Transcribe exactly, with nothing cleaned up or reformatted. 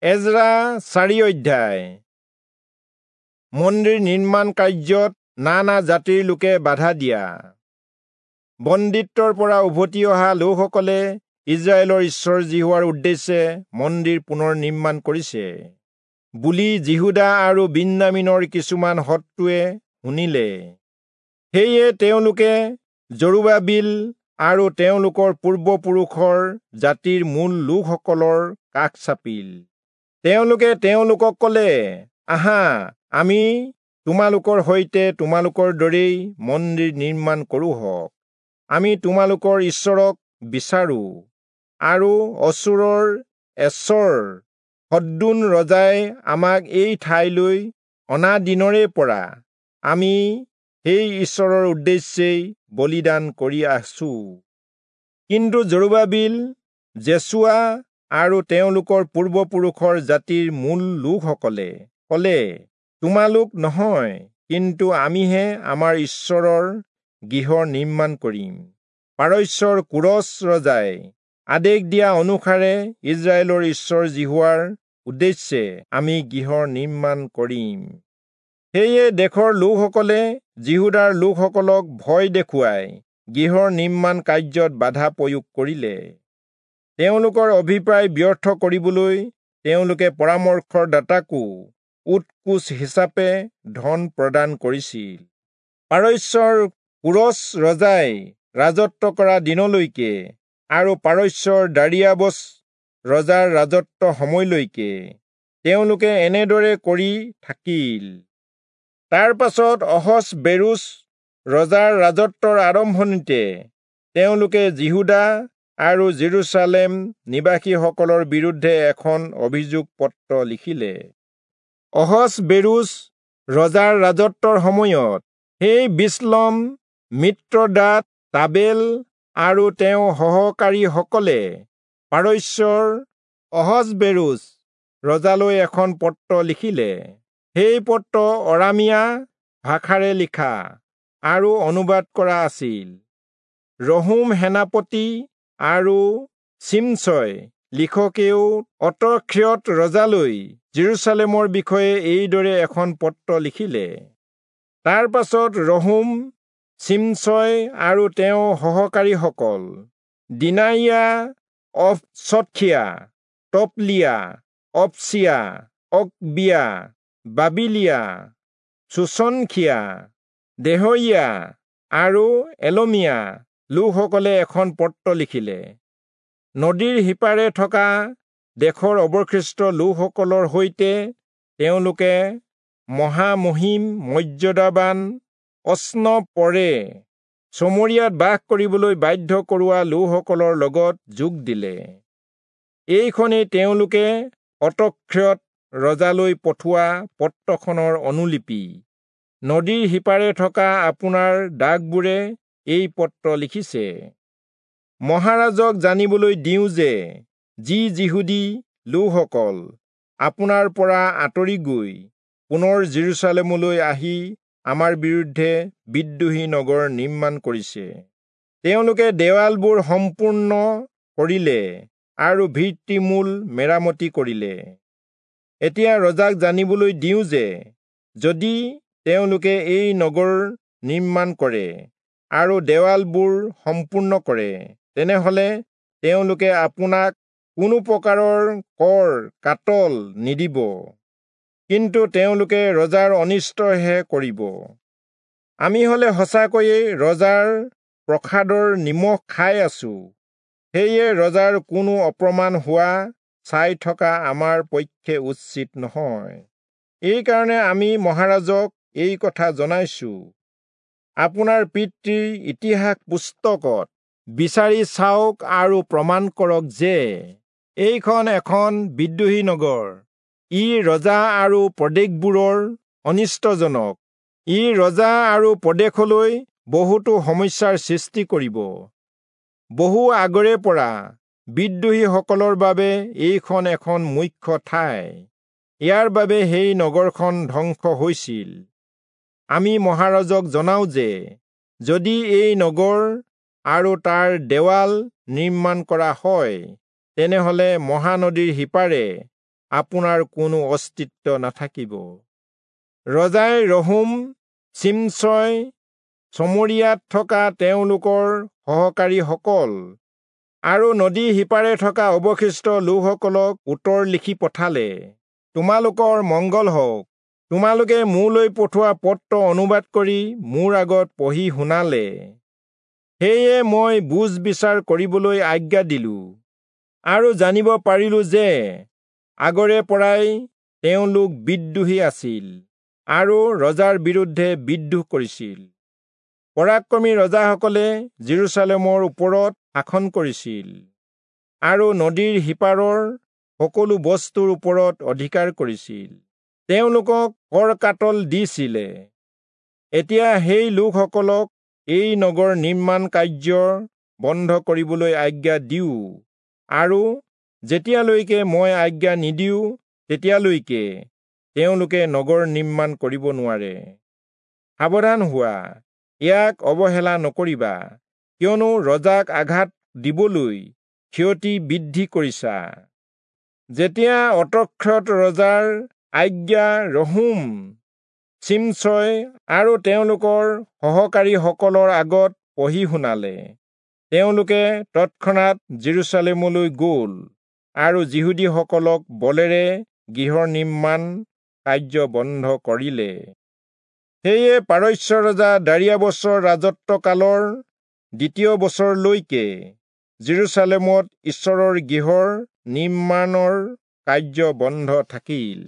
এজৰা চাৰি অধ্যায়। মন্দিৰ নিৰ্মাণ কাৰ্যত নানা জাতিৰ লোকে বাধা দিয়া। বন্দীত্বৰ পৰা উভতি অহা লোকসকলে ইস্ৰায়েলৰ ঈশ্বৰ যিহোৱাৰ উদ্দেশ্যে মন্দিৰ পুনৰ নিৰ্মাণ কৰিছে বুলি যিহূদা আৰু বিন্যামীনৰ কিছুমান শত্ৰুৱে শুনিলে। সেয়ে তেওঁলোকে জৰুবাবিল আৰু তেওঁলোকৰ পূৰ্বপুৰুষৰ জাতিৰ মূল লোকসকলৰ কাষ চাপিল। তেওঁলোকে তেওঁলোকক ক'লে, আহা, আমি তোমালোকৰ সৈতে তোমালোকৰ দৰেই মন্দিৰ নিৰ্মাণ কৰোঁহক। আমি তোমালোকৰ ঈশ্বৰক বিচাৰোঁ। আৰু অচূৰৰ এচৰ হদ্দোন ৰজাই আমাক এই ঠাইলৈ অনা দিনৰে পৰা আমি সেই ঈশ্বৰৰ উদ্দেশ্যেই বলিদান কৰি আছো। কিন্তু জৰুবাবিল, যেচুৱা আৰু তেওঁলোকৰ পূৰ্বপুৰুষৰ জাতিৰ মূল লোকসকলে ক'লে, তোমালোক নহয়, কিন্তু আমিহে আমাৰ ঈশ্বৰৰ গৃহ নিৰ্মাণ কৰিম। পাৰস্যৰ কোৰচ ৰজাই আদেশ দিয়া অনুসাৰে ইস্ৰায়েলৰ ঈশ্বৰ যিহোৱাৰ উদ্দেশ্যে আমি গৃহ নিৰ্মাণ কৰিম। সেয়ে দেশৰ লোকসকলে যিহূদাৰ লোকসকলক ভয় দেখুৱাই গৃহৰ নিৰ্মাণ কাৰ্যত বাধা প্ৰয়োগ কৰিলে। তেওঁলোকৰ অভিপ্ৰায় ব্যৰ্থ কৰিবলৈ তেওঁলোকে পৰামৰ্শদাতাকো উৎকোচ হিচাপে ধন প্ৰদান কৰিছিল। পাৰস্যৰ কোৰচ ৰজাই ৰাজত্ব কৰা দিনলৈকে আৰু পাৰস্যৰ দাৰিয়াবচ ৰজাৰ ৰাজত্ব সময়লৈকে তেওঁলোকে এনেদৰে কৰি থাকিল। তাৰ পাছত অহচবেৰোচ ৰজাৰ ৰাজত্বৰ আৰম্ভণিতে তেওঁলোকে যিহূদা আৰু জেৰুচালেম নিবাসীসকলৰ বিৰুদ্ধে এখন অভিযোগ পত্ৰ লিখিলে। অহচবেৰোচ ৰজাৰ ৰাজত্বৰ সময়ত সেই বিচলম, মিত্ৰদাত, তাবেল আৰু তেওঁৰ সহকাৰীসকলে পাৰস্যৰ অহচবেৰোচ ৰজালৈ এখন পত্ৰ লিখিলে। সেই পত্ৰ অৰামীয়া ভাষাৰে লিখা আৰু অনুবাদ কৰা আছিল। ৰহূম সেনাপতি আৰু চিমচয় লিখকেও অৰ্তক্ষেয়ত ৰজালৈ জেৰুচালেমৰ বিষয়ে এইদৰে এখন পত্ৰ লিখিলে। তাৰ পাছত ৰহূম, চিমচয় আৰু তেওঁৰ সহকাৰীসকল দিনাইয়া, অফচতখীয়া, তপলিয়া, অপচিয়া, অকবিয়া, বাবিলিয়া, চূচনখীয়া, দেহৰীয়া আৰু এলমীয়া লোকসকলে এখন পত্ৰ লিখিলে। নদীৰ সিপাৰে থকা দেশৰ অৱশিষ্ট লোকসকলৰ সৈতে তেওঁলোকে মহামহিম মৰ্যাদাবান অস্নপৰে চমৰীয়াত বাস কৰিবলৈ বাধ্য কৰোৱা লোকসকলৰ লগত যোগ দিলে। এইখনেই তেওঁলোকে অৰ্তক্ষেয়ত ৰজালৈ পঠোৱা পত্ৰখনৰ অনুলিপি। নদীৰ সিপাৰে থকা আপোনাৰ দাসবোৰে এই পত্ৰ লিখিছে। মহাৰাজক জানিবলৈ দিওঁ যে যি যিহূদী লোকসকল আপোনাৰ পৰা আঁতৰি গৈ পুনৰ জেৰুচালেমলৈ আহি আমাৰ বিৰুদ্ধে বিদ্ৰোহী নগৰ নিৰ্মাণ কৰিছে, তেওঁলোকে দেৱালবোৰ সম্পূৰ্ণ কৰিলে আৰু ভিত্তিমূল মেৰামতি কৰিলে। এতিয়া ৰজাক জানিবলৈ দিওঁ যে যদি তেওঁলোকে এই নগৰ নিৰ্মাণ কৰে আৰু দেৱালবোৰ সম্পূৰ্ণ কৰে, তেনেহলে তেওঁলোকে আপোনাক কোনো প্ৰকাৰৰ কৰ কাটল নিদিব, কিন্তু তেওঁলোকে ৰজাৰ অনিষ্টহে কৰিব। আমি হলে সঁচাকৈয়ে ৰজাৰ প্ৰসাদৰ নিমখ খাই আছো। সেয়ে ৰজাৰ কোনো অপমান হোৱা চাই থকা আমাৰ পক্ষে উচিত নহয়। এইকাৰণে আমি মহাৰাজক এই কথা জনাইছো। আপোনাৰ পিতৃৰ ইতিহাস পুস্তকত বিচাৰি চাওক আৰু প্ৰমাণ কৰক যে এইখন এখন বিদ্ৰোহী নগৰ। ই ৰজা আৰু প্ৰদেশবোৰৰ অনিষ্টজনক। ই ৰজা আৰু প্ৰদেশলৈ বহুতো সমস্যাৰ সৃষ্টি কৰিব। বহু আগৰে পৰা বিদ্ৰোহীসকলৰ বাবে এইখন এখন মুখ্য ঠাই। ইয়াৰ বাবে সেই নগৰখন ধ্বংস হৈছিল। আমি মহাৰাজক জনাওঁ যে যদি এই নগৰ আৰু তাৰ দেৱাল নিৰ্মাণ কৰা হয়, তেনেহলে মহানদীৰ সিপাৰে আপোনাৰ কোনো অস্তিত্ব নাথাকিব। ৰজাই ৰহূম, চিমচয়, চমৰীয়াত থকা তেওঁলোকৰ সহকাৰীসকল আৰু নদী সিপাৰে থকা অৱশিষ্ট লোকসকলক উত্তৰ লিখি পঠালে, তোমালোকৰ মংগল হওক। তোমালোকে মোলৈ পঠোৱা পত্ৰ অনুবাদ কৰি মোৰ আগত পঢ়ি শুনালে। সেয়ে মই বুজ বিচাৰ কৰিবলৈ আজ্ঞা দিলো আৰু জানিব পাৰিলো যে আগৰে পৰাই তেওঁলোক বিদ্ৰোহী আছিল আৰু ৰজাৰ বিৰুদ্ধে বিদ্ৰোহ কৰিছিল। পৰাক্ৰমী ৰজাসকলে যিৰূচালেমৰ ওপৰত শাসন কৰিছিল আৰু নদীৰ সিপাৰৰ সকলো বস্তুৰ ওপৰত অধিকাৰ কৰিছিল। তেওঁলোকক কৰ কাটল দিছিলে। এতিয়া সেই লোকসকলক এই নগৰ নিৰ্মাণ কাৰ্য বন্ধ কৰিবলৈ আজ্ঞা দিওঁ আৰু যেতিয়ালৈকে মই আজ্ঞা নিদিওঁ তেতিয়ালৈকে তেওঁলোকে নগৰ নিৰ্মাণ কৰিব নোৱাৰে। সাৱধান হোৱা, ইয়াক অৱহেলা নকৰিবা, কিয়নো ৰজাক আঘাত দিবলৈ ক্ষতি বৃদ্ধি কৰিছা। যেতিয়া অতক্ষত ৰজাৰ আজ্ঞা ৰহূম, চিমচয় আৰু তেওঁলোকৰ সহকাৰীসকলৰ আগত পঢ়ি শুনালে, তেওঁলোকে তৎক্ষণাত যিৰূচালেমলৈ গ'ল আৰু যিহুদীসকলক বলেৰে গৃহ নিৰ্মাণ কাৰ্য বন্ধ কৰিলে। সেয়ে পাৰস্য ৰজা দাৰিয়াবচৰ ৰাজত্বকালৰ দ্বিতীয় বছৰলৈকে যিৰূচালেমত ঈশ্বৰৰ গৃহৰ নিৰ্মাণৰ কাৰ্য বন্ধ থাকিল।